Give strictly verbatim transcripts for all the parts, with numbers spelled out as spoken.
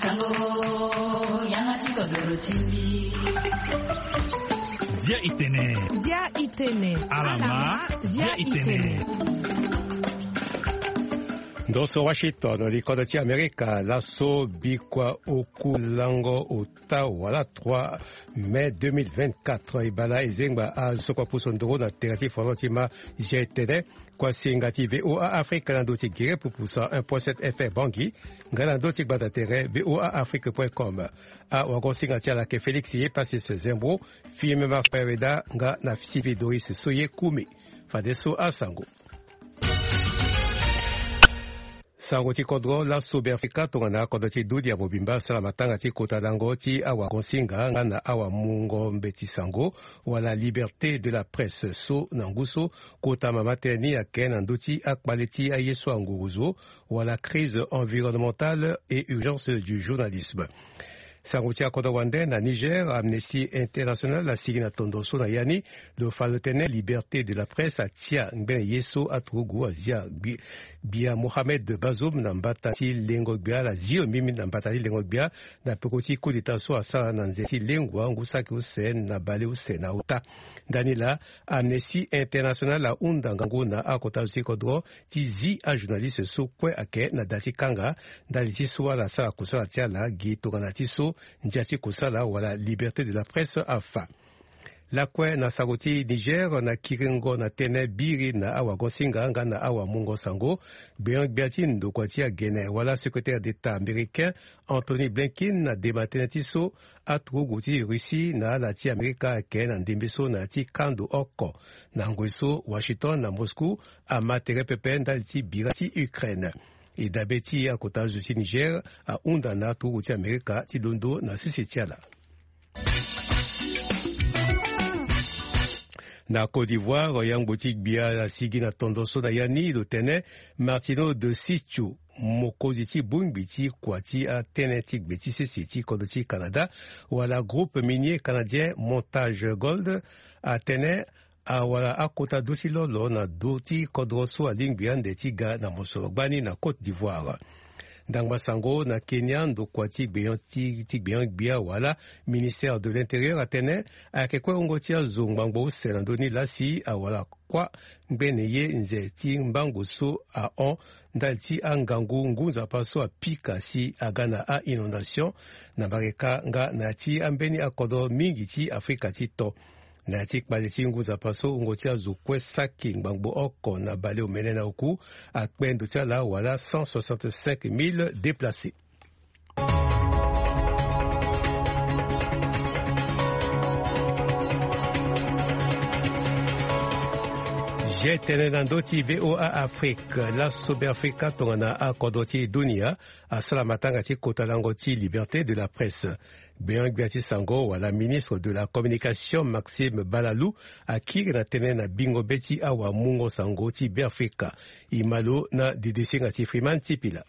Sango, yanga ti kodoro ti mbi. Zia itene. Zia itene. Alama, zia itene. Ndo so Washington, likodo ti Amerika, laso bikua oku lango ota wala trois mai deux mille vingt-quatre, e bala e zengba azo kua pusu nduru na tere ti foro ti ma. Zia itene, kuasinga ti V O A Afrique na ndo ti gere pupusa un point sept F M Bangui, nga na ndo ti gbanda tere V O A Afrique point com. Awagosinga ti ala ayeke Félix Yepassis Zembro, Firmin Marc Pereda nga na Sylvie Doris Soye Koumi. Fadeso asango. Sango ti kodro. Laso Beafrika tongana kodro ti dunia mobimba asara matanga ti kota lango ti awagosinga nga na awamungo mbeti sango, wala liberté de la presse, so na ngu so kota mama tënë ni ayeke na ndö ti akpale ti aye so anguruzo, wala crise environnementale et urgence du journalisme. Sango ti akodro wande na Niger, Amnesty International asigi na tondo so na ya ni, lo fa lo tene liberté de la presse atia ngbene ye so aturugu azia gbi-, gbia Mohamed Bazoum na mbata ti lengo gbia, ala zio mbi na mbata ti lengo gbia, na peko ti coup d'état so asara na nze ti lengua ngu saki use na bale use na ota. Ndani laa, Amnesty International ahunda ngangu na akota zo ti kodro ti zi ajournaliste so kue ayeke na da ti kanga, ndali ti so ala sara kusala ti ala gi tongana ti so ndia ti kusala wala liberté de la presse afa. Lakue na sango ti Niger, na kiringo na tënë biri na awagosinga nga na awamungo sango, gbenyo-gbia ti ndokua ti agene wala secrétaire d'État américain Anthony Blinken adema tënë ti so aturugu ti Russie na ala ti Amerika ayeke na ndembe so na ya ti kando oko. Na ngoi so Washington na Moscou ama tere pepe ndali ti bira ti Ukraine. E dabe ti akota zo ti Niger ahunda na aturugu ti Amerika ti londo na sese ti ala. Na Côte d'Ivoire, yangbo ti gbia asigi na tondo so na ya ni, lo tene Martineau de Sitio, mokonzi ti bongbi ti kua ti atënë ti gbe ti sese ti kodro ti Canada, wala groupe minier canadien Montage Gold, atene awara akota dö ti lolo na dö ti kodro so alingbi ande ti ga na mosoro gbani na Côte d'Ivoire. Ndangba sango na Kenya, ndokua ti gbenyo ti, ti gbenyo gbia wala ministère de l'Intérieur atene ayeke kue wungo ti azo ngbangbo use na ndö ni laa si awara kuâ ngbene ye nze ti mbango so ahon ndali ti angangu ngu nzapa so apika si aga na a-inondation na Mareka nga na ya ti ambeni akodro mingi ti Afrika ti to. Na ya ti kpale ti ngu nzapa so, wungo ti azo kue saki ngbangbo oko na baleomene na oku akpe ndo ti ala wala cent soixante-cinq mille déplacés. Zia tënë na ndö ti V O A Afrique. Laso Beafrika tongana akodro ti dunia asara matanga ti kota lango ti liberté de la presse. Gbenyo-gbia ti sango wala ministre de la communication Maxime Balalou akiri na tënë na bingo be ti awamungo sango ti Beafrika. E ma lo na didisinga ti Freeman Tipila.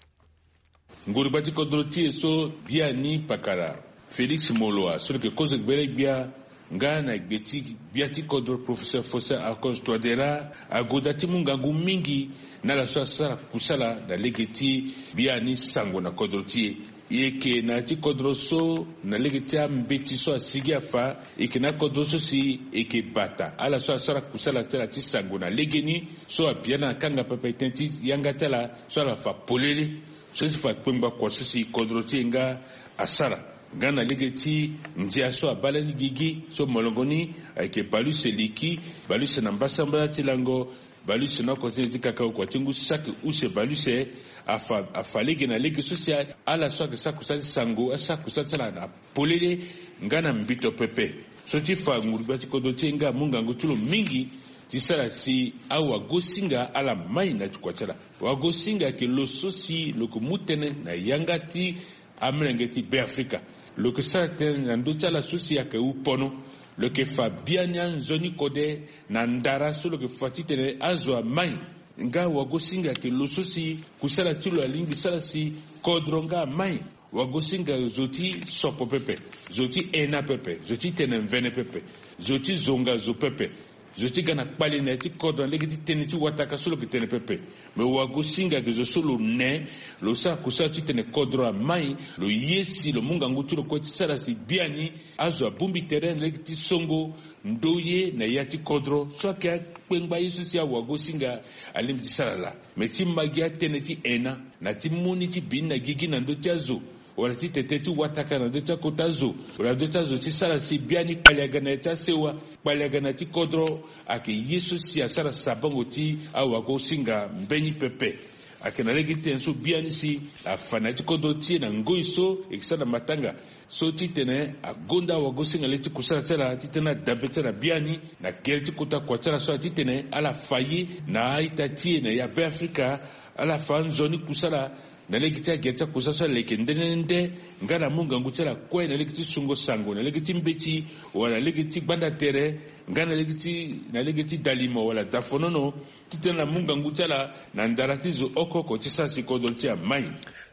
Nguru gbia ti kodro ti e so biani pakara Félix Moloua so lo yeke kozo gbele gbia nga na gbe ti gbia ti kodro Professeur Faustin Archange Touadéra agoda ti mu ngangu mingi na ala so asara kusala na lege ti biani sango na kodro ti e. E yeke na ya ti kodro so na lege ti ambeti so asigi afa, e yeke na kodro so si e yeke bata ala so asara kusala ti ala ti sango na legeni so abia ala na kanga pepe tënë ti yanga ti ala so ala fa polele. So ti fa kpengba kua so si kodro ti e nga asara nga na lege ti ndia so abaa lani gigi so molongo ni ayeke bale use liki, bale use na mbasambala ti lango, bale use na oko ti nze ti kakao kua ti ngu saki use bale use. Afa, afa lege na lege so si ala so ayeke sara kusala ti sango asara kusala ti ala na polele nga na mbito pepe. So ti fa nguru gbia ti kodro ti e nga amu ngangu ti lo mingi ti sara si awagosinga ala mai na ti kua ti ala. Wagosinga ayeke lo so si lo yeke mu tënë na yanga ti amolenge ti Beafrika. Lo yeke sara tënë na ndö ti ala so si ayeke hu pono. Lo yeke fa biani anzoni kode na ndara so lo yeke fa titene azo amai. Nga wagosinga ayeke lo so si kusala ti lo alingbi sara si kodro nga amai. Wagosinga zo ti sopo pepe, zo ti hena pepe, zo ti tene mvene pepe, zo ti zonga zo pepe. Zo ti ga na kpale na ya ti kodro na lege ti tënë ti wataka so lo yeke tene pepe. Me wagosinga ayeke zo so lo ne, lo sara kusala titene kodro amai, lo ye si lo mu ngangu ti lo kue ti sara si biani azo abongbi tere na lege ti songo ndoye na ya ti kodro so ayeke akpengba ye so si awagosinga alingbi ti sara laa. Me ti ma gi atënë ti hena na ti mu ni ti bi ni na gigi na ndö ti azo, wala ti tete ti wataka na ndö ti akota zo, wala ndö ti azo ti sara si biani kpale aga na ya ti asewa, kpale aga na ya ti kodro, ayeke ye so si asara sabango ti awagosinga mbeni pepe. Ayeke na lege ti tene so biani si afa na ya ti kodro ti e na ngoi so e yeke sara na matanga. So titene agonda awagosinga le ti kusala ti ala titene adabe ti ala biani na gere ti kota kua ti ala so ala titene ala fa ye na a-ita ti e na ya Beafrika. Ala fa nzoni kusala na lege ti agere ti akusala so ala yeke nde nde nde, nga ala mu ngangu ti ala kue na lege ti sungo sango na lege ti mbeti, wala na lege ti gbanda tere, nga na lege ti na lege ti dalimo wala dafonono, titene ala mu ngangu ti ala na ndara ti zo oko oko ti sara si kodro ti ala mai.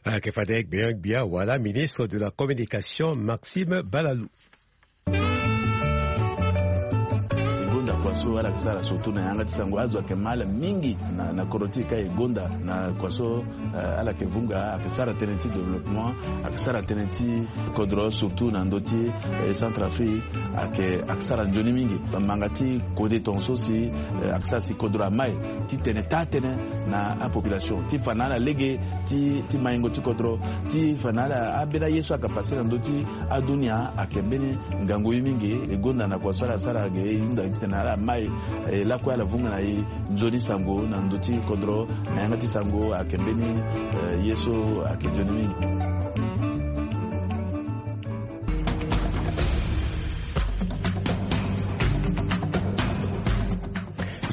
Ayeke fade gbia gbia wala ministre de la communication Maxime Balalou. E gonda kua so ala yeke sara surtout na yanga ti sango, azo ayeke ma ala mingi na, na kodro ti e ka e gonda na kua so, eh, ala yeke vunga, ayeke sara tënë ti développement, ayeke sara tënë ti kodro surtout na ndö ti, eh, Centrafrique, ayeke, ayeke sara nzoni mingi. Manga ti kode tongaso si, eh, ayeke sara si kodro amai titene taa tënë na apopulation ti fa na ala lege ti, ti maingo ti kodro, ti fa na ala ambeni aye so ayeke pase na ndö ti adunia ayeke mbeni ngangu ye mingi. E gonda na kua so ala sara ge e hunda titene ala mai, eh, lakue ala vunga na e nzoni sango na ndö ti kodro, na yanga ti sango ayeke mbeni, eh, ye so ayeke nzoni mingi.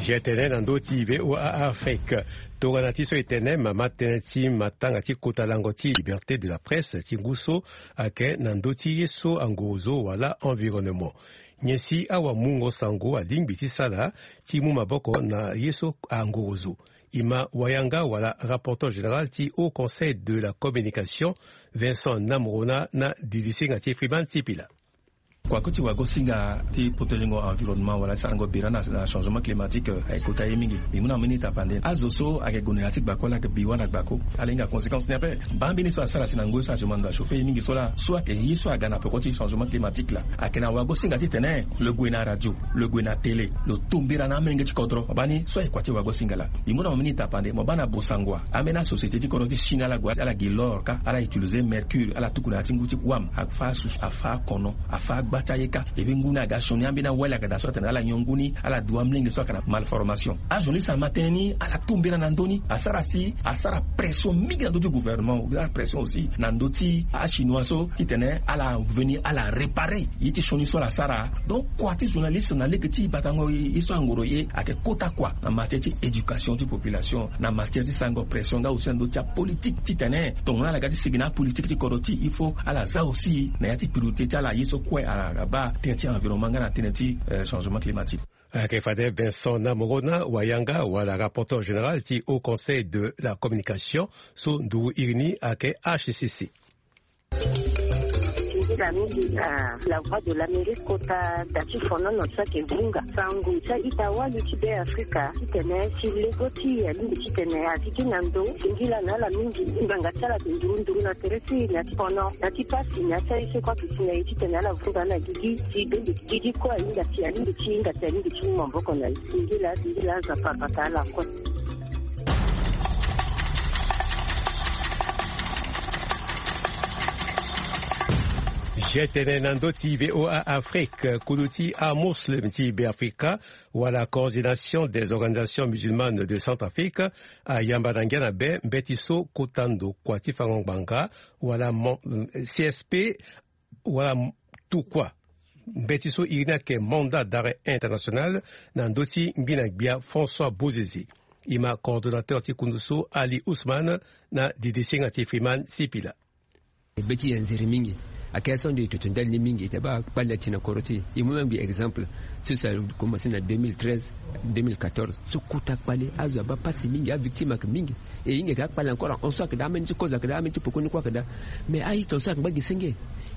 Ge tene na ndö ti V O A Afrique. Tongana ti so e tene mama tënë ti matanga ti kota lango ti liberté de la presse ti ngu so ayeke na ndö ti ye so angorozo wala environnement. Nyen si awamungo sango alingbi ti sara ti mu maboko na ye so angorozo? E ma wayanga wala rapporteur général ti Haut Conseil de la communication, Vincent Namorona, na didisinga ti Freeman Sipila. Kua kue ti wagosinga ti protéger ngo environnement wala ti sarango bira na, na changement climatique, eh, ayeke kota ye mingi. Mbi mu na mbeni tapande. Azo so ayeke gue na ya ti gbako, ala yeke bi wâ na gbako, ala hinga conséquence ni ape. Baa mbeni so asara si na ngoi so azo ma ndo achauffer ye mingi so laa, so ayeke ye so aga na peko ti changement climatique laa. Ayeke na wagosinga titene lo gue na radio, lo gue na télé, lo tu mbira na amolenge ti kodro. Mo baa ni so ayeke kua ti wagosinga laa. Mbi mu na mo mbeni tapande, mo baa na Bossangoa, ambeni asociété ti kodro ti Chine, ala gue, ala gi l'or kâ, ala utiliser mercure, ala tuku na ya ti ngu ti wam, afa asu, afa akono, afa agba ti aye kâ. E be ngu ni aga sioni ambeni awali aga daa so atene ala nyon ngu ni, ala du amolenge so ayeke na malformation. Azo ni si ama tënë ni, ala tu mbira na ndö ni, asara si, asara pression mingi na ndö ti gouvernement, asara pression aussi na ndö ti achinois so titene ala veni, ala réparer ye ti sioni so ala sara. Donc kua ti journaliste na lege ti batango ye so angoro ye ayeke kota kua na matière ti éducation ti population, na matière ti sarango pression nga aussi na ndö ti apolitique titene tongana ala ga ti sigi na apolitique ti kodro ti e, il faut ala za aussi na ya ti priorité ti ala ye so kue ala baa tënë ti environnement nga na tënë ti, eh, changement climatique. Ayeke fade Vincent Namorona, wayanga wala rapporteur général ti Haut Conseil de la communication, so nduru iri ni ayeke H C C. Singila mingi na La Voix de l'Amérique kota da ti fonono so ayeke vunga sango ti a-ita wali ti Beafrika titene ti lego ti e alingbi titene a sigi na ndo. Singila na ala mingi. Ngbanga ti ala ayeke nduru nduru na tere ti e na ya ti fono, na ya ti pasi, na ya ti aye so kue ayeke si na e titene ala vunga na gigi ti bembe ti gigi kue ahinga si alingbi ti hinga si alingbi ti mu maboko na e. Singila, singila, Nzapa abata ala kue. Ge tene na ndö ti V O A Afrique, kulu ti amuslim ti Beafrika, wala Coordination des Organisations Musulmanes de Centrafrique, ayamba na ngia na be mbeti so kota ndo kua ti fango ngbanga, wala mon-, C S P, wala m-, tukua mbeti so iri ni ayeke mandat d'arrêt international na ndö ti ngbina gbia François Bozizé. E ma coordonnateur ti kundu so Ali Ousmane na didisinga ti Freeman Sipila. Be ti e anzere mingi. Ayeke so ande e toto ndali ni mingi, e ta baa kpale ati na kodro ti e. E mu mbi exemple so si a commencé na deux mille treize, deux mille quatorze. So kota kpale, azo abaa pasi mingi, avictime ayeke mingi. E hinga ayeke akpale encore ahon so ayeke daa, ambeni ti kozo ayeke daa, ambeni ti pekoni kue ayeke daa. Mais a-ita so ayeke ngba gi senge.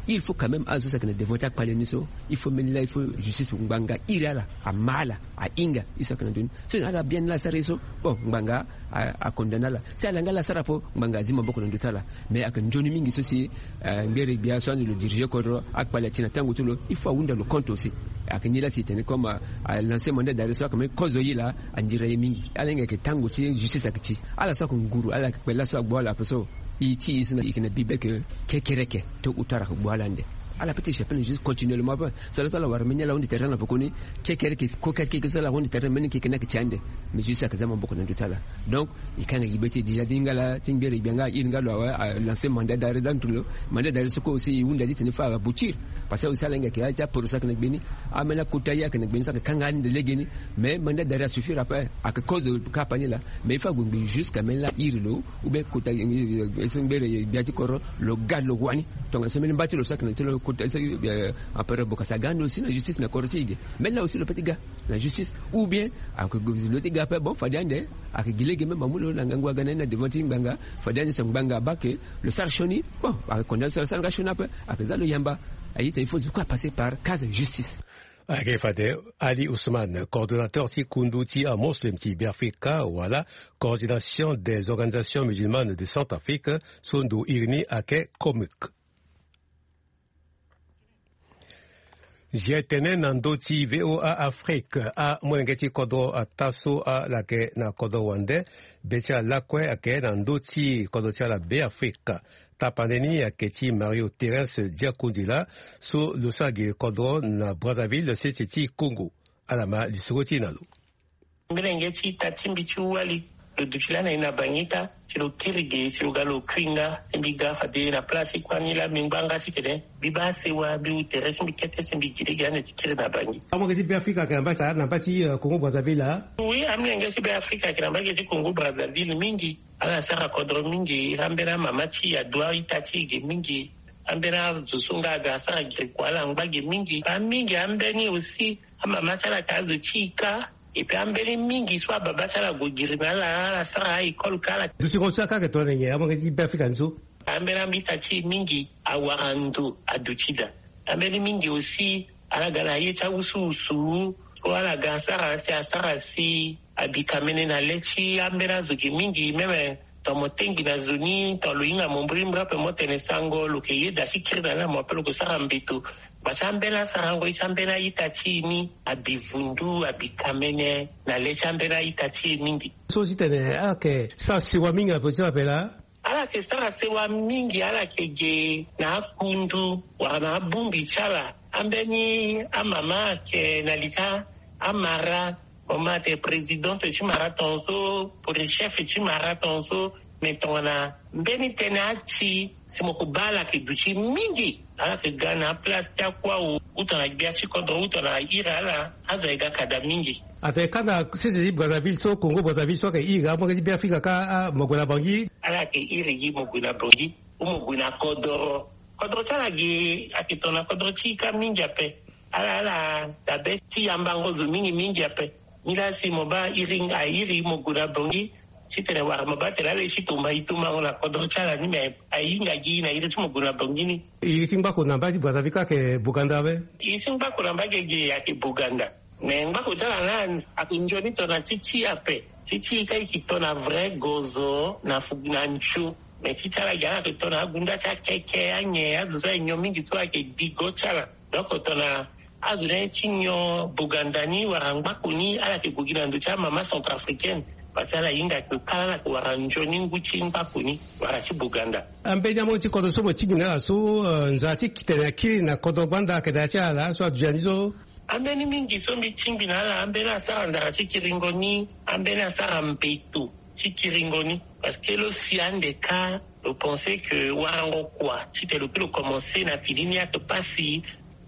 Il faut quand même azo so ayeke na devant ti akpale ni so, il faut mbeni laa il faut justice ngbanga iri ala, ama ala, ahinga ye so ayeke na ndö ni. So ala bien ni laa asara ye so, bon, ngbanga acondamné ala. Si ala nga ala asara ape, ngbanga azi maboko na ndö ti ala. Mais ayeke nzoni mingi so si ngbere gbia so ande lo dirige kodro, akpale ati na tango ti lo, il faut ahunda lo compte aussi. Ayeke ni laa si e tene comme alancer mandat d'arrêt so ayeke même kozo ye laa, andira ye mingi. Ala hinga yeke tango ti justice ayeke ti ala so ayeke nguru, ala yeke kpela so agbu ala ape so. E ti e so na e yeke na bibe yeke kekereke to utara ayeke gbu ala ande. Ala peut ti chape na justice continuellement ape. So ala so ala wara mbeni ala ahunda tere na pekoni, kekereke ko kekereke so ala ahunda tere mbeni keke ni ayeke ti ande. Mais justice ayeke za maboko na ndö ti ala. Donc e kanga gi be ti e déjà ti hinga laa ti ngbere gbia nga airi nga lo awe, alancer mandat d'arrêt. Donc lo mandat d'arrêt so kue aussi e hunda ti tene fo aboutir. Parce que aussi ala hinga yeke ya ti aporo so ayeke na gbe ni, ambeni akota ye ayeke na gbe ni so ayeke kanga ande legeni. Mais mandat d'arrêt asuffire ape. Ayeke cause kapa ni laa. Mais il faut ague ngbii jusqu'à mbeni laa iri lo ou bien kota ye so ngbere gbia ti kodro lo ga lo wani. Tongana so mbeni mba ti lo so ayeke na ti lo kota so, Empereur Bokassa aga ande aussi na justice na kodro ti e ge. Mbeni laa aussi lo peut ti ga na justice. Ou bien ayeke lo ti ga ape, bon, fade ande ayeke gi lege même amu lo na ngangu aga na ye na devant ti ngbanga. Fade ande so ngbanga abaa ke lo sara sioni, bon, ayeke condamné so lo sara nga sioni ape. Ayeke za lo yamba. Aye tene il faut zo kue apasser par case justice. Ayeke fade Ali Ousmane, coordonnateur ti kundu ti amoslem ti Beafrika wala Coordination des organisations musulmanes de Centrafrique, so ndo iri ni ayeke COMUC. Zia tene na ndö ti VOA Afrique, amolenge ti kodro ataa so ala yeke na kodro wande, be ti ala lakue ayeke na ndö ti kodro ti ala Beafrika. Tapande ni ayeke ti Mario Thérence Diakundila, so lo sara gi kodro na Brazzaville, sese ti Congo. Ala ma lisoro ti e na lo. Mbelenge ti ita ti mbi ti wali, lo duti lani na e na Bangi ita, si lo kiri ge, si lo ga lo kui nga, si mbi ga fade na place ti kuâ ni laa mbi ngba nga titene mbi baa sewa, mbi hu tere, si mbi kete, si mbi gi lege ande ti kiri na Bangi. Amolenge ti Beafrika ayeke na mba ti, na mba ti, eh, Congo Brazzaville, ah? Oui, amolenge ti Beafrika ayeke na mba ge ti Congo Brazzaville mingi. Ala sara kodro mingi, ambeni amama ti e adua ita ti e ge mingi. Ambeni azo so nga aga asara giri kua, ala ngba ge mingi. Amingi ambeni aussi, amama ti ala ayeke azo ti e kâ. Et puis ambeni mingi so ababa ti ala ague giri na ala, ala sara a-école kâ ala. Dutingo ti ala kâ ayeke tongana nyen, amolenge ti Beafrika ni so? Ambeni a-ita ti e mingi awara ndo aduti daa. Ambeni mingi aussi ala ga na ye ti awusuwusu, so ala ga asara si asara si abi kamene na le ti ambeni azo ge mingi, même tongana mo tengbi na zo ni, tongana lo hinga mo mbirimbiri ape, mo tene sango, lo yeke yeda ti kiri na ni na mo ape, lo yeke sara mbeto. Bati ambeni asarango ye ti ambeni a-ita ti e ni abi vundu, abi kamene na le ti ambeni a-ita ti e mingi. So titene ala yeke sara sewa mingi na peko ti ala ape laa? Ala yeke sara sewa mingi, ala yeke ge na akundu wala na abongbi ti ala. Ambeni amama ayeke na li ti amara, mo ma atene présidente ti mara tongaso, pour chef ti mara tongaso. Me tongana mbeni tënë ati, si mo ko baa ala yeke duti mingi. Ala yeke ga na aplace ti akuâ, uta na gbia ti kodro, uta na iri ala, azo ayeke ga kada mingi. Atene kanda sese ti Brazzaville so, Congo Brazzaville so ayeke iri amolenge ti Beafrika kâ, ah, mo gue na Bangui. Ala yeke iri gi mo gue na Bangui, ou mo gue na kodro. Kodro ti ala ge ayeke tongana kodro ti e kâ mingi ape. Ala, ala dabe ti yambango zo mingi mingi ape. Nilaa si mo baa iri, airi mo gue na Bangui, titene wara mo baa tene ala ye ti tomba e tombango na kodro ti ala ni, me ahinga gi na iri ti mo gue na Bangui ni. Iri ti ngbako na mba ti Brazzaville kâ ayeke Boganda ape? Iri ti ngbako na mba gege ayeke Boganda. Me ngbako ti ala laa ayeke nzoni tongana ti ti e ape. Ti ti e kâ e yeke tongana vrai gozo na fu na nzio. Me ti ti ala ge ala yeke tongana agunda ti akeke, anyen, azo so ayeke nyon mingi so ayeke gbi go ti ala. Donc tongana azo ni aye ti nyon Boganda ni wala ngbako ni, ala yeke gue gi na ndo ti amama centrafricaine. Parce que ala hinga ake kala ala yeke wara nzoni ngu ti ngbako ni wala ti Boganda. Ambeni amolenge ti kodro so mo tingbi na ala so, eh, nzara ti tene akiri na kodro gbanda ayeke na ya ti ala so aduti na ni so? Ambeni mingi so mbi tingbi na ala, ambeni asara nzara ti kiringo ni, ambeni asara mbeto ti kiringo ni. Parce que lo si ande kâ, lo pense que warango kua titene lo kiri lo commencer na fini ni ayeke pasi.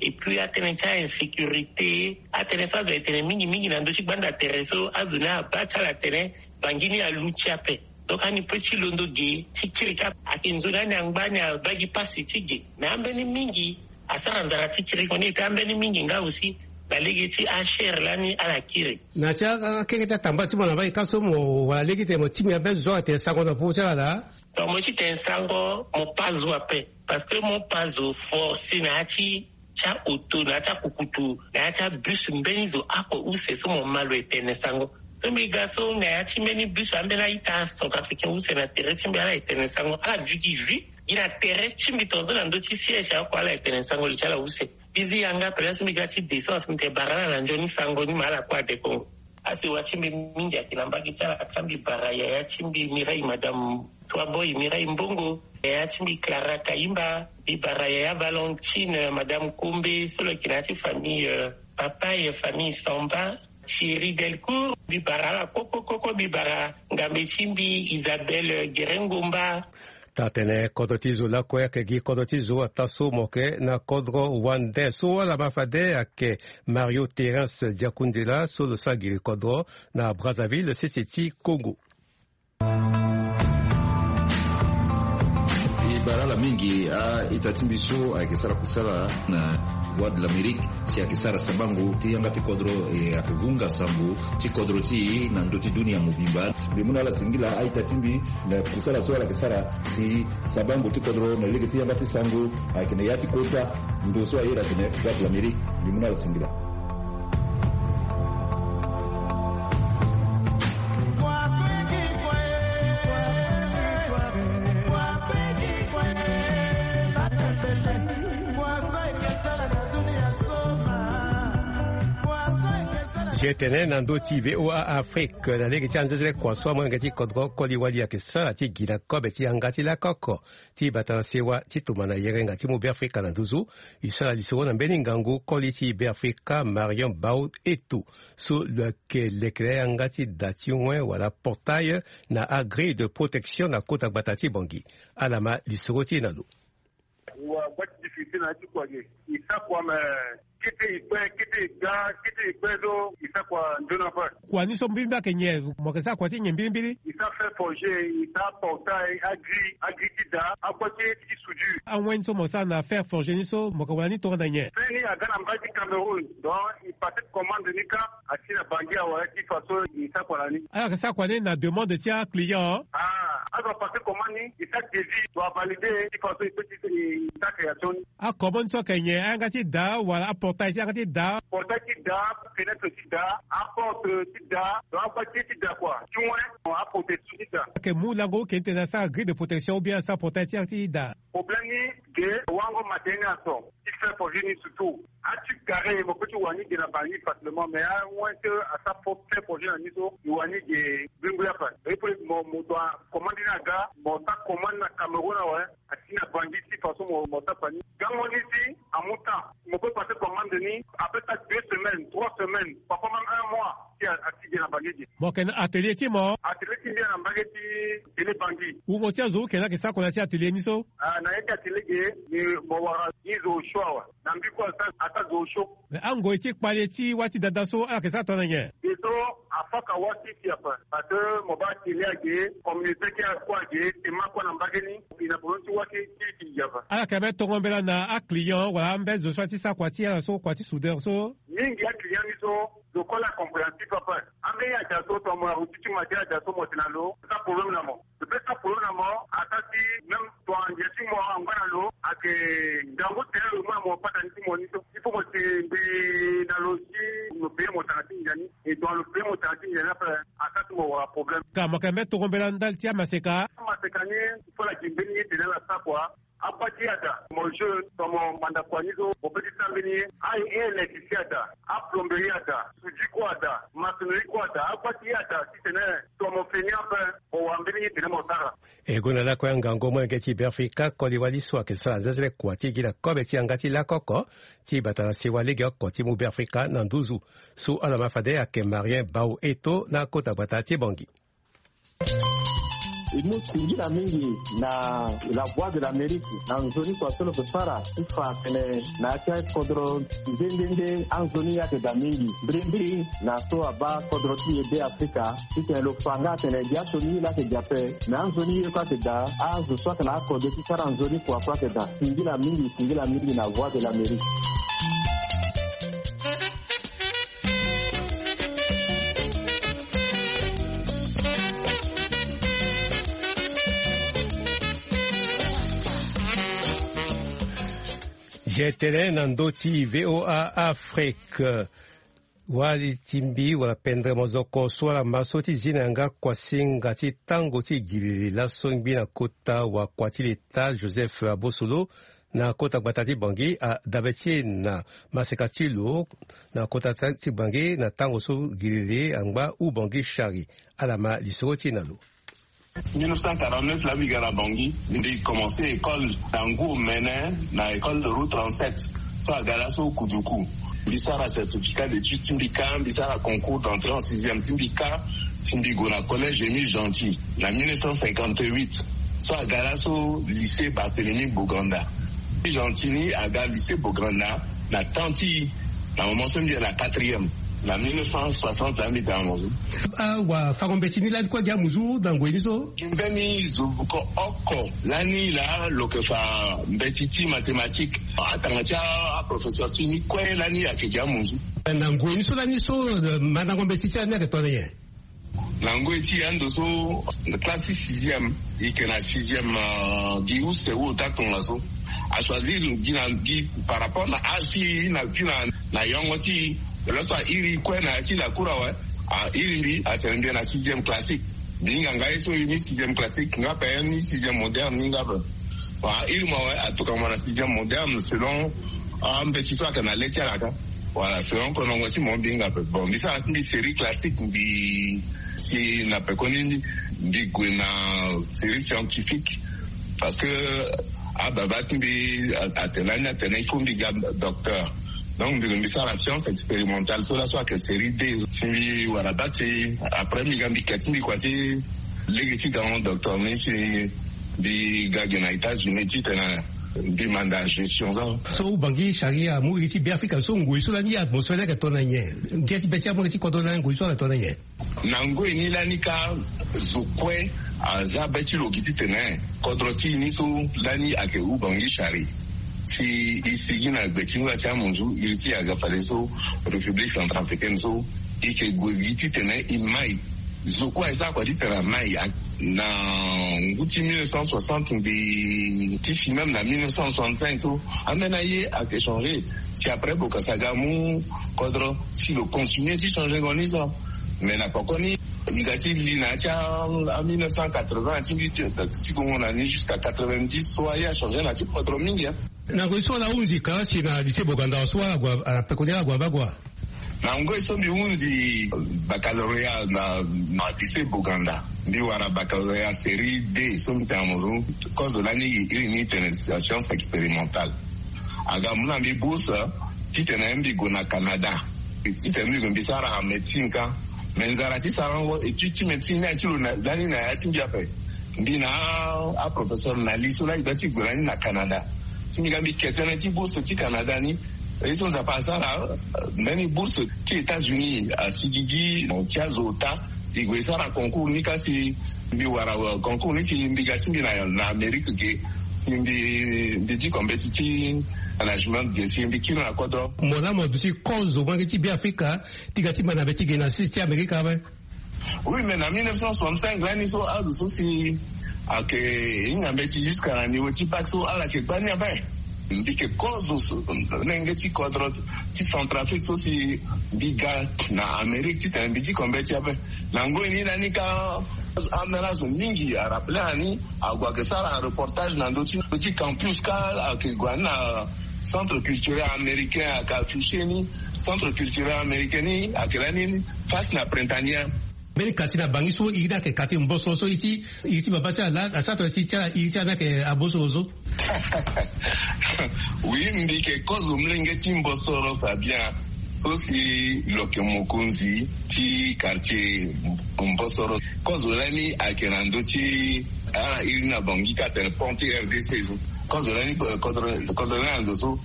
Et puis atënë ti a-insécurité, atënë so azo ayeke tene mingi mingi na ndö ti gbanda tere so, azo ni abaa ti ala atene Bangui ni aluti ape. Donc ani peut ti londo ge ti kiri kâ. Ayeke nzoni ani angba, ani abaa gi pasi ti ge. Mais ambeni mingi asara nzara ti kiringo ni, et puis ambeni mingi nga aussi na lege ti acher lani ala kiri. Na ti akeke ti atamba ti mo na mbage ka so mo wara lege ti tene mo tingbi ambeni zo atene sango na popo ti ala laa. Donc mo ti tene sango mo pa zo ape. Parce que mo pa zo force na ya ti ti aoto na ya ti akukutu na ya ti abus mbeni zo ako use so mo ma lo etene sango. So mbi ga so na ya ti mbeni bus ambeni a-ita centrafricain use na tere ti mbi ala etene sango ala duti vi. Gi na tere ti mbi tongaso na ndö ti siège ako ala etene sango li ti ala use. Mbi zi yanga pele so mbi ga ti descence mbi tene bara ala na nzoni sango ni ma ala kue ade kongo. Asewa ti mbi mingi ayeke na mbage ti ala ka mbi bara yaya ti mbi mireille madame toi boy mireille mbongo, yaya ti mbi clara kayimba, mbi bara yaya valentine madame kombe so lo yeke na ya ti famille papa ye famille samba, thierry delcourt mbi bara ala kokokoko mbi bara ngambe ti mbi isabelle gerengomba. Taa-tene kodro ti zo lakue ayeke gi kodro ti zo ataa so mo yeke na kodro wande so ala ma fade ayeke mario terence diakundela so lo sara giri kodro na brazzaville sese ti congo. E bara ala mingi a-ita ti mbi so ayeke sara kusala na voie de l'amérique si ayeke sara sabango ti yanga ti kodro e ayeke vunga sango ti kodro ti e na ndö ti dunia mobimba. Mbi mu na ala singila a-ita ti mbi na kusala so ala yeke sara si sabango ti kodro na lege ti yanga ti sango ayeke na ya ti kota ndo so aye atene voie de l'amérique. Mbi mu na ala singila. Jetene na ndö ti voa afrique na lege ti anzezele kua so amolenge ti kodro koli wali ayeke sara ti gi na kobe ti yanga ti lakoko ti bata na sewa ti tuma na yengenga ti mu beafrika na nduzu. E sara lisoro na mbeni ngangu koli ti beafrika marion bau eto so lo yeke lekere yanga ti da ti wen wala portail na agrille de protection na kota gbata ti bongi. Ala ma lisoro ti e na lo. Wa gba ti difficulté na ya ti kua ge. E sa kua me kete e kpe kete e ga kete e kpe so e sa kua nzoni ape. Kua ni so mbirimbiri ayeke nyen? Mo yeke sara kua ti nyen mbirimbiri? E sa fer forger e sa portail agri agri ti da agba ti ti soudure. Awen ni so mo sara na fer forger ni so mo yeke wara ni tongana nyen? Fe ni aga na mbai ti cameroun. Donc e pase commande ni kâ. Asi na bangi awe ti façon e sa kua na ni. Ala yeke sa kua ni na demande ti aclient. Ah azo apase commande ni e sa devis to avalide ti façon e pe ti e sa création ni. Akomo ni so ayeke nyen? Ayanga ti da wala aportail ti yanga ti da? Portail ti da, fenetre ti da, aporte ti da, donc agba ti ti da kua ti wen aprotection ti da. Ayeke mu lango oke ni tene asara grille de protection ou bien asara portail ti yanga ti da? Problème ni ge wango matene ni aso ti fait projet ni surtout. Ati gare mo pe ti wani ge na bangi facilement mais awen ti asa fait projet na ni so e wani ge. Bingbi ape. Epe mo mo doit commande ni aga mo sa commande na cameroun awe. Asi na bangi ti façon mo mo sa kua ni. Gango ni si amu temps mo pe pase commande ni. Ape sa deux semaines trois semaines parfois même un mois. Si asi ge na bangi ge. Mo yeke na atelier ti mo? Atelier ti mbi na mbage ti tene bangi. Wungo ti azo oke na yeke sa kua na ya ti atelier ni so? Ah na ya ti atelier ge. Ni mo wara ni zo osio awe. Na mbi kue asa asa zo osio. Mais angoi ti kpale ti wâ ti dada so ala yeke sara tongana nyen? Ge so afaka wâ ti si ape. Parce que mo baa tele age communauté ti akua age tema kua na mbage ni. E na bolo ti wâ ti ti ti gi ape. Ala yeke ambeni tongo mbela na aclient wala ambeni zo so ala ti sara kua ti ala so kua ti soudeur so? Mingi aclient ni so zo kue ala compréhensif ape. Ambeni aja so tongana mo na routine ti matière aja so mo tene na lo sa problème na mo. Lo pe sa polo na mo ata ti même tongana ndia ti mo angba na lo ayeke ngangu tere lo mu na mo patani ti mo ni so. Il faut mo si mbi na lo si lo peye mo tanga ti ndia ni. E tongana lo peye mo tanga ti ndia ni ape asa ti mo wara problème. Ka mo yeke mbeni tongo mbela ndali ti amaseka? Amaseka ni il faut la gi mbeni ye tene ala sa kua. Agba ti ye ada mo jeu tongana mo manda kua ni so mo pe ti sa mbeni ye. Aye elekisi ada, aplomberie ada, soudi kue ada, masonerie kue ada. Agba ti ye ada titene tongana mo feni ape mo wara mbeni ye tene mo sara. E gonda lakue angango molenge ti beafrika koli wali so ayeke sara nzenzele kua ti gi na kobe ti yanga ti lakoko ti bata na sewa lege oko ti mu beafrika na nduzu. So ala ma fade ayeke marien bau eto na kota gbata ti bongi. E mu singila mingi na la voie de l'amérique na nzoni kua so lo ke sara ti fa atene na ya ti akodro nde nde nde anzoni ayeke daa mingi mbirimbiri na so abaa kodro ti e be afrika. Titene lo fa nga atene biaso ni ye laa ayeke daa ape. Me anzoni ye kue ayeke daa azo so ayeke na akode ti sara nzoni kua kue ayeke daa. Singila mingi singila mingi na voie de l'amérique. Ye tene na ndö ti VOA Afrique. Wali ti mbi wala pendere mozoko so ala ma so ti zi na yanga kuasinga ti tango ti gilili laso ngbi na kota wakua ti leta Joseph Abosolo na kota gbata ti Bangui adabe ti e na maseka ti lo na kota ta-, ti Bangui na tango so gilili angba u Bangui Chari. Ala ma lisoro ti e na lo. Mille neuf cent quarante-neuf la mbi ga na Bangui, mbi commencé école na ngu omene na école de route trente-sept. So aga laso Kuduku. Mbi sara certificat d'études ti mbi kâ, mbi sara concours d'entrée en sixième ti mbi kâ, si mbi gue na collège Émile Gentil. Na mille neuf cent cinquante-huit, so aga laso lycée Barthélemy Boganda. Gentil ni aga lycée Boganda na temps ti, na moment so mbi yeke na quatrième, na mille neuf cent soixante la mbi tanga mo so. Ah, wa fango mbeti ni lani kue gi amuzu na ngoi ni so? Gi mbeni zo ko oko lani la lo yeke fa mbeti ti mathématique. Atanga ti aprofesseur ti ni kue lani ayeke gi amuzu. Na ngoi ni so lani so, eh, mandango mbeti ti lani ayeke tongana nyen? Na ngoi ti ando so, classe ti sixième, e yeke na sixième, euh, gi use ota tongaso. A choisir gi na gi par rapport na âge ti e, na gi na, na yongo ti e. Laso a iri kue na ya ti lakour awe. A iri mbi, atene mbi na sixième classique. Mbi hinga nga ye so ni sixième classique, nga ape ni sixième moderne ni nga ape. Bon, a iri mo awe, atokua mo na sixième moderne selon, ah, mbeti so ayeke na le ti ala kâ. Voilà, selon konongo ti mo mbi hinga ape. Bon, mbi sara ti mbi série classique, mbi si na pekoni mbi gue na série scientifique. Parce que ababa ti mbi a-, atene lani atene il faut mbi ga docteur. Donc mbi, mbi sara science expérimentale so laso ayeke série deux. Si mbi wara bate, après mbi ga mbi ke ti mbi kua ti lege ti gango docteur ni si mbi ga ge na États-Unis titene mbi manda gestion so. So Ubangui Chari amu iri ti Beafrika so ngoi so lani atmosphère ni ayeke tongana nyen? Ngia ti be ti amu iri ti kodro lani ngoi so ayeke tongana nyen? Na ngoi ni lani kâ zo kue aza be ti lo gi titene kodro ti e ni so lani ayeke Ubangui Chari. Si e sigi na gbe ti ngoi ti amunzu iri ti aga fadeso République centrafricaine so e yeke gue gi titene e mai. Zo kue aye sara kua titene a mai. Na ngu ti mille neuf cent soixante mbi ti si même na mille neuf cent soixante-cinq so ambeni aye ayeke changé. Si après Bokassa aga amu kodro si lo continué ti changé ngo ni so. Mais na poko ni e ga ti li na ya ti a mille neuf cent quatre-vingts ti mbi ti gongo na ni jusqu'à quatre-vingt-dix so aye achangé na ya ti kodro mingi, hein. Na ngoi so ala hunzi ka si na lycée Boganda so ala gue, ala pekoni ala gue na bagua. Na ngoi so mbi hunzi baccalauréat na, na lycée Boganda. Mbi wara baccalauréat série deux so mbi tene na mo so. Kozo lani iri ni tene science expérimentale. Aga amu na mbi bourse titene mbi gue na Canada. Titene mbi gue mbi sara médecine kâ. Mais nzara ti sarango étude ti médecine ni aye ti lo na, lani na ya ti mbi ape. Mbi na aprofesseur na li so lani gba ti gue lani na Canada. Si mbi ga mbi ke tënë ti bourse ti Canada ni. Ye so Nzapa asara, eh, mbeni bourse ti États-Unis asigigi ti azo ota. E gue e sara concours ni kâ si mbi wara, eh, concours ni si mbi ga ti mbi na, na Amérique ge. Si mbi, mbi diko mbeti ti management ge si mbi kiri na kodro. Mo laa mo duti kozo molenge ti Beafrika ti ga ti ma na mbeti ge na six ti Amérique awe. Oui, mais na mille neuf cent soixante-cinq lani so azo so si ayeke hinga mbeti jusqu'à na niveau ti bac so ala yeke gbani ape. Mbi yeke kozo so, lenge ti kodro ti Centrafrique so si mbi ga na Amérique titene mbi diko mbeti ape. Na ngoi ni lani kâ, ameni azo mingi a rappelé ani, ague ayeke sara reportage na ndö ti, ndö ti campus kâ ayeke gue ani na centre culturel américain ayeke affiché ni. Centre culturel américain ni ayeke lani face na Printanière. Mbeni quartier na Bangui so iri ni ayeke quartier Mbosoro so iri ti, iri ti baba ti ala, asara tongana ti, ti ala, iri ti ala ni ayeke Abosoro so. Oui, mbi yeke kozo molenge ti Mbosoro Fabien. So si lo yeke mokonzi ti quartier Mbosoro. Kozo lani ayeke na ndö ti, ah, iri ni na Bangui kâ atene pont ti R D C so. Kozo lani, eh, kodro, kodro ni na ndo so.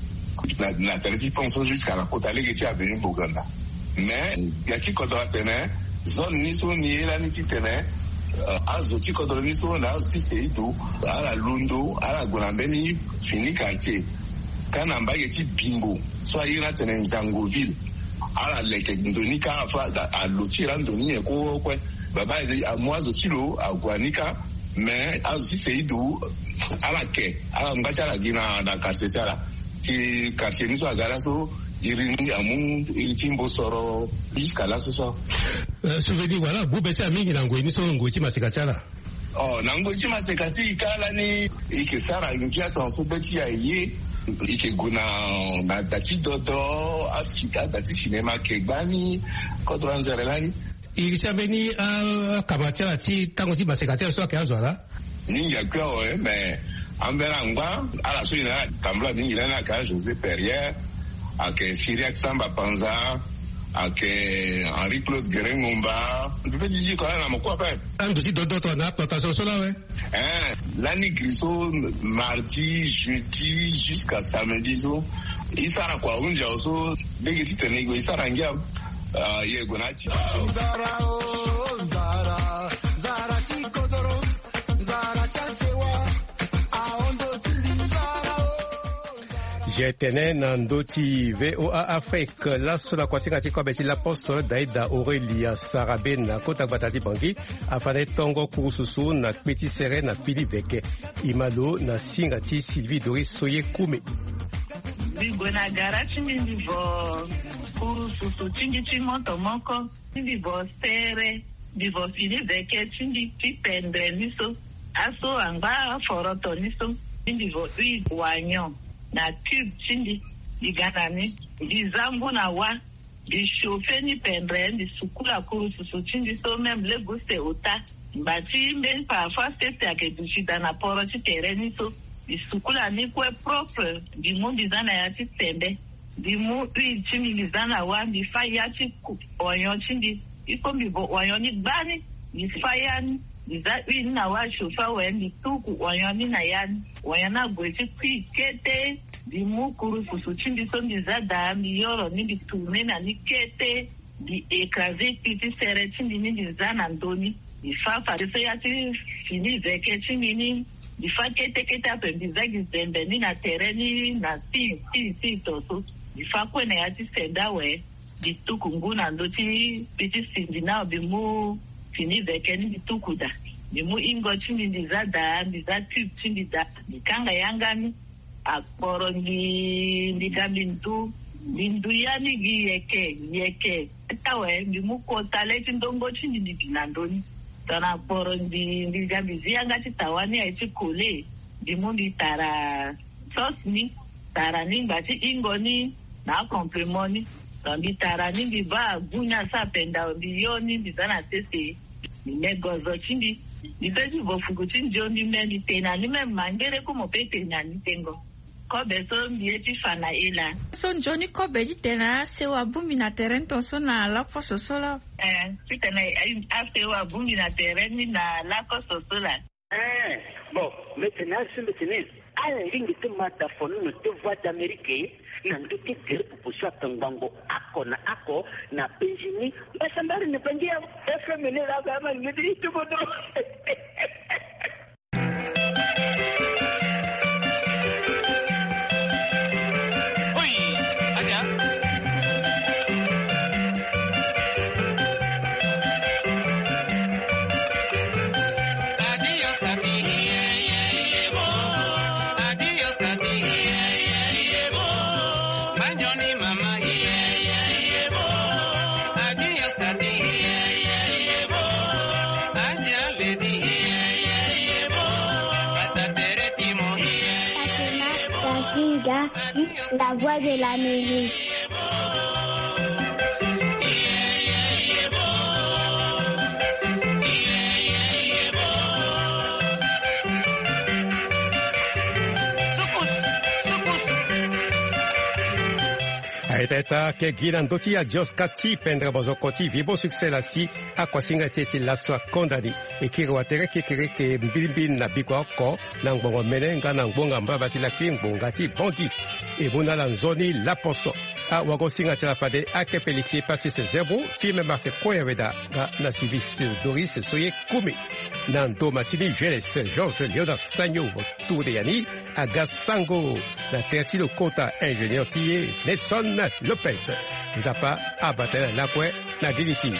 Na, na tere ti pont so jusqu'à na kota lege ti avenue Boganda. Mais ya ti kodro atene zone ni so ni ye lani titene, eh, azo ti kodro ni so na azo ti Seidu, ala londo, ala gue na mbeni fini quartier. Kâ na mbage ti Bimbo so aye ni atene Nzangoville. Ala leke ndo ni kâ afa, alo ti e laa ndo ni nyen kue kue. Baba amu azo ti lo ague ni kâ. Mais azo ti Seidu, ala ke, ala ngba ti ala gi na, na quartier ti ala. Ti quartier ni so aga laso, iri ni amu iri ti mbosoro jusqu'à laso so. Souvenir wala gbu be ti amingi na ngoi ni so, ngoi ti maseka ti ala? Oh, na ngoi ti maseka ti e ka lani, e ke sara ngia tongaso be ti e aye. E ke gue na, na da ti dodo, asi ada ti cinéma ke gbani. Kodro anzere lani. Iri ti ambeni akama ti ala ti tango ti maseka ti ala so ayeke azo ala? Mingi akui awe, mais ambeni angba ala so e na ala tambula mingi lani ayeke José Perrier, ayeke Cyriaque Samba Panza, ayeke Henri Claude Guérin Ngomba. Mpe ti diko ala na mokua ape. Ando ti dodo tongana plantation so la awe. Eh, lani giri so, mardi, jeudi, jusqu'à samedi so, e sara kua ahunzi awe so, lege titene e sara ngia. Ah, e gue na ya ti. Nzara o, nzara, nzara ti kodoro, nzara ti asewa, ahondo ti mbi nzara o. Je tenais na ndö ti V O A Afrique, laso na kuasinga ti kobe ti l'apostole Daïda Aurélia Sarabe na kota gbata ti Bangui, afa na e tongo kurususu na kpe ti sere na fini veke. E ma lo na singa ti Sylvie Doris Soye Koume. Mbi gue na gara ti mbi, mbi vo kurususu ti mbi ti moto moko. Mbi vo sere, mbi vo fini veke ti mbi ti pendre ni so. Aso angba aforoto ni so. Mbi vo huile oignon na cube ti mbi. Mbi ga na ni. Mbi za ngu na wa. Mbi chauffer ni pendre, mbi sukula kurususu ti mbi so, même le goût c'est ota. Ngba ti mbeni parfois sese ayeke duti daa na poro ti tere ni so. Mbi sukula ni kue propre, mbi mu mbi za na ya ti sembe. Mbi mu huile ti mbi, mbi za na wa, mbi fâ ya ti ku oignon ti mbi. Il faut mbi vo oignon ni gbani, mbi fâ ya ni, mbi za huile ni na wa, chauffer awe, mbi tuku oignon ni na ya ni. Oignon ni ague ti kui kete. Mbi mu kurususu ti mbi so mbi za daa, mbi yoro ni, mbi tourner na ni kete. Mbi écraser kpi ti sere ti mbi ni, mbi za na ndö ni. Mbi fâ fadeso ya ti fini veke ti mbi ni. Mbi fâ kete kete ape, mbi za gi zembe ni na tere ni na si si si to so. Mbi fâ kue na ya ti sende awe. Mbi tuku ngu na ndö ti kpi ti sindi ni awe, mbi mu fini veke ni, mbi tuku daa. Mbi mu ingo ti mbi, mbi za daa, mbi za cube ti mbi daa. Mbi kanga yanga ni. Akporo mbi, mbi ga mbi ndu, mbi ndu ya ni gi yeke yeke. Ti awe mbi mu kota le ti ndongo ti mbi, mbi bi na ndö ni. Tongana akporo mbi, mbi ga mbi zi yanga ti tawa ni aye ti kole. Mbi mu mbi tara sauce ni, tara ni ngba ti ingo ni na acomplément ni. Donc mbi tara ni, mbi baa goût ni asa penda, mbi yo ni, mbi za na sese. Mbi me gozo ti mbi. Mbi pe ti vo fuku ti nzio, mbi me, mbi te na ni, même mangere ku mo pe te na ni tengo. Kobe so mbi ye ti fa na e laa. So nzoni kobe ti tene asewa abongbi na tere ni tongaso na laposo so laa? Eh, titene asewa abongbi na tere ni na laposo so laa? Eh, bon, mbi tene azo, mbi tene ala lingbi ti ma da fono na te Voix d'Amérique na ndö ti gere popo so ayeke ngbangbo oko na oko na penzi ni. Mbasambari na Bangui ya F M ni laa, ba ma lingbi ti ti kodro. Fatima Basinga, la voix de l'Amérique. Aita ita ke gi na ndö ti adios ka ti pendre bozoko ti Vibo Succès la si akuasinga ti e ti laso akonda ni. E kiri watere kekereke mbilimbili na bikua oko na ngbongo mene nga na ngbonga mbaba ti lakui ngbonga ti Bangui. E mu na ala nzoni laposo. Awagosinga ti ala fade ake Félix Passis Zerbo, Firmin Marcel Koyaweda nga na Sylvie Doris Soye Koume. Na ndo masini Geles Georges Léonard Sagno Tour de Yani aga sango na tere ti lo kota ingénieur ti e Nelson Lopez. Nzapa abata na lakue na gigi ti.